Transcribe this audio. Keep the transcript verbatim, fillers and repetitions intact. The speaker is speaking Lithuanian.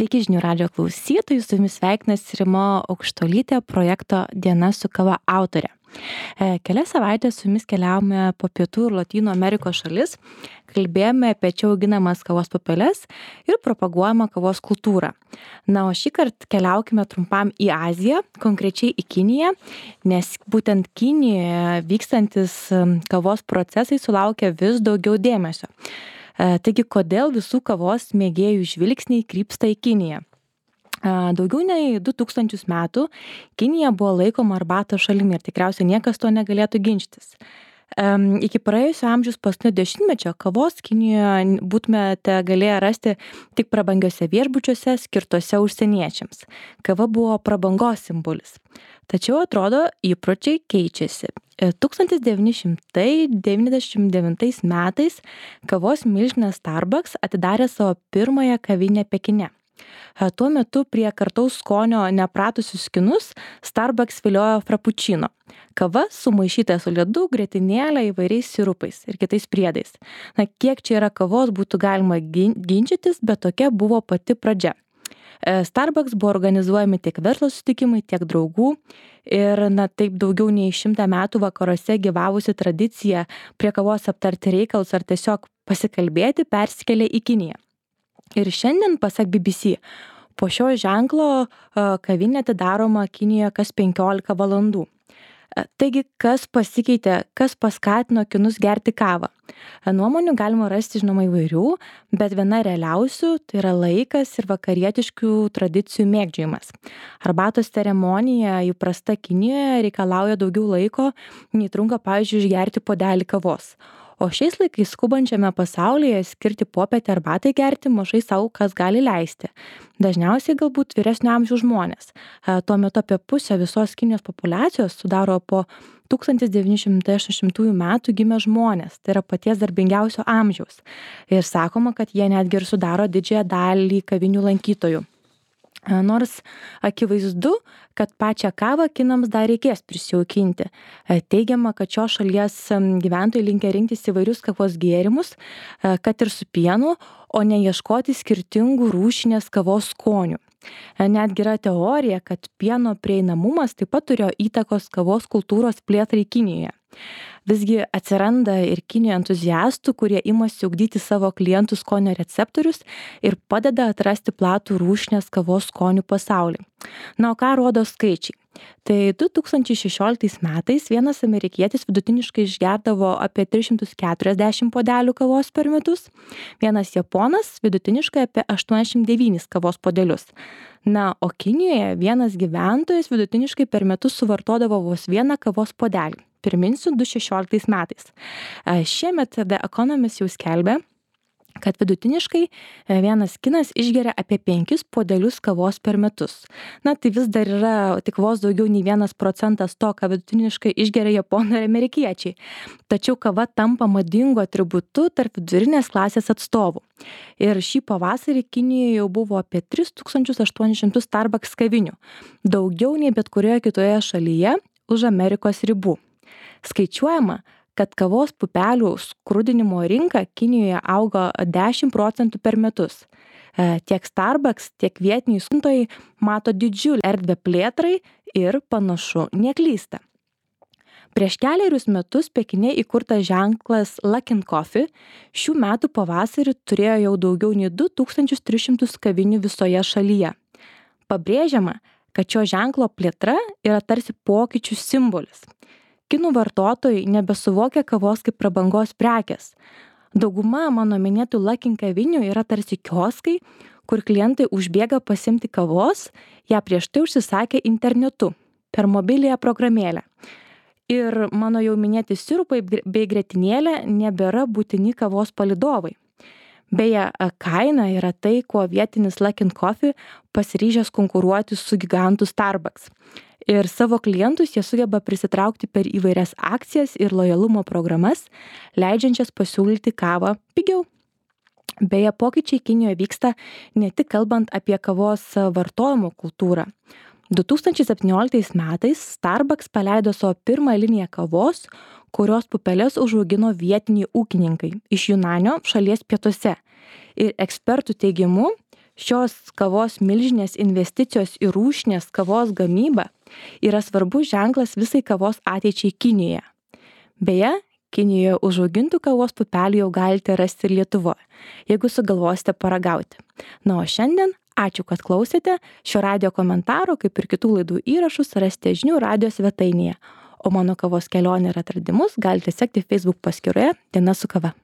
Sveiki žinių radijo klausytojai, su jumis sveikinasi Rima Aukštuolytė, projekto Diena su kava autorė. E, Kelias savaitės su jumis keliavome po Pietų ir Lotynų Amerikos šalis, kalbėjome apie čia auginamas kavos pupeles ir propaguojamą kavos kultūrą. Na, o šį kartą keliaukime trumpam į Aziją, konkrečiai į Kiniją, nes būtent Kinijoje vykstantis kavos procesai sulaukia vis daugiau dėmesio. Taigi, kodėl visų kavos mėgėjų žvilgsniai krypsta į Kiniją? Daugiau nei du tūkstančius metų Kinija buvo laikoma arbatos šalimi ir tikriausiai niekas to negalėtų ginčytis. Iki praėjusio amžiaus paskutinio dešimtmečio kavos Kinijoje būtumėte galėję rasti tik prabangiuose viešbučiuose skirtuose užsieniečiams. Kava buvo prabangos simbolis. Tačiau atrodo, įpročiai keičiasi. tūkstantis devyni šimtai devyniasdešimt devintais metais kavos milžinas Starbucks atidarė savo pirmąją kavinę Pekine. Tuo metu prie kartaus skonio nepratusius kinus Starbucks viliojo frappuccino. Kava sumaišyta su ledu, grietinėle, įvairiais sirupais ir kitais priedais. Na, kiek čia yra kavos būtų galima ginčytis, bet tokia buvo pati pradžia. Starbucks buvo organizuojami tiek verslo susitikimai, tiek draugų ir na, taip daugiau nei šimtą metų vakaruose gyvavusi tradicija prie kavos aptarti reikalus ar tiesiog pasikalbėti persikėlė į Kiniją. Ir šiandien, pasak B B C, po šio ženklo kavinė atidaroma Kinijoje kas penkiolika valandų. Taigi, kas pasikeitė, kas paskatino kinus gerti kavą? Nuomonių galima rasti, žinoma, įvairių, bet viena realiausių tai yra laikas ir vakarietiškų tradicijų mėgdžiojimas. Arbatos ceremonija įprasta Kinijoje reikalauja daugiau laiko, nei trunka, pavyzdžiui, išgerti puodelį kavos. O šiais laikais skubančiame pasaulyje skirti popietę arbatai gerti mažai sau kas gali leisti. Dažniausiai galbūt vyresnio amžiaus žmonės. Tuo metu apie pusę visos Kinijos populiacijos sudaro po tūkstantis devyni šimtai aštuoniasdešimtųjų metų gimę žmonės, tai yra paties darbingiausio amžiaus. Ir sakoma, kad jie netgi ir sudaro didžiąją dalį kavinių lankytojų. Nors akivaizdu, kad pačią kavą kinams dar reikės prisijaukinti. Teigiama, kad šios šalies gyventojai linkę rinktis įvairius kavos gėrimus, kad ir su pienu, o ne ieškoti skirtingų rūšinės kavos skonių. Netgi yra teorija, kad pieno prieinamumas taip pat turėjo įtakos kavos kultūros plėtrai Kinijoje. Visgi atsiranda ir Kinijoje entuziastų, kurie imasi ugdyti savo klientų skonio receptorius ir padeda atrasti platų rūšinės kavos skonių pasaulį. Na, o ką rodo skaičiai? Tai du tūkstančiai šešioliktais metais vienas amerikietis vidutiniškai išgerdavo apie tris šimtus keturiasdešimt puodelių kavos per metus, vienas japonas vidutiniškai apie aštuoniasdešimt devynis kavos puodelius. Na, o Kinijoje vienas gyventojas vidutiniškai per metus suvartodavo vos vieną kavos puodelį. Priminsiu, du tūkstančiai šešioliktais metais. Šiemet The Economist jau skelbė, kad vidutiniškai vienas kinas išgeria apie penkis puodelius kavos per metus. Na, tai vis dar yra tik vos daugiau nei vienas procentas to, ką vidutiniškai išgeria japonai ir amerikiečiai. Tačiau kava tampa madingu atributu tarp vidurinės klasės atstovų. Ir šį pavasarį Kinijoje jau buvo apie tris tūkstančius aštuonis šimtus Starbucks kavinių. Daugiau nei bet kurioje kitoje šalyje už Amerikos ribų. Skaičiuojama, kad kavos pupelių skrudinimo rinka Kinijoje augo dešimt procentų per metus. Tiek Starbucks, tiek vietiniai skrudintojai mato didžiulę erdvę plėtrai ir panašu neklysta. Prieš kelerius metus Pekine įkurtas ženklas Luckin Coffee šių metų pavasarį turėjo jau daugiau nei du tūkstančius tris šimtus kavinių visoje šalyje. Pabrėžiama, kad šio ženklo plėtra yra tarsi pokyčių simbolis. Kinų vartotojai nebesuvokia kavos kaip prabangos prekės. Dauguma mano minėtų Luckin kavinių yra tarsi kioskai, kur klientai užbėga pasiimti kavos, ją prieš tai užsisakė internetu per mobiliąją programėlę. Ir mano jau minėti sirupai bei grietinėlė nebėra būtini kavos palydovai. Beje, kaina yra tai, kuo vietinis Luckin Coffee pasiryžęs konkuruoti su gigantu Starbucks. Ir savo klientus jie sugeba prisitraukti per įvairias akcijas ir lojalumo programas, leidžiančias pasiūlyti kavą pigiau. Beje, pokyčiai Kinijoje vyksta ne tik kalbant apie kavos vartojimo kultūrą. du tūkstančiai septynioliktais metais Starbucks paleido savo pirmą liniją kavos, kurios pupeles užaugino vietiniai ūkininkai iš Junanio šalies pietuose. Ir ekspertų teigimu, Šios kavos milžinės investicijos į rūšinės kavos gamybą yra svarbus ženklas visai kavos ateičiai Kinijoje. Beje, Kinijoje užaugintų kavos pupelių jau galite rasti ir Lietuvoje, jeigu sugalvosite paragauti. Na, o šiandien ačiū, kad klausėte. Šio radijo komentaro, kaip ir kitų laidų įrašus, rasite žinių radijo svetainėje. O mano kavos kelionę ir atradimus galite sekti Facebook paskyroje Diena su kava.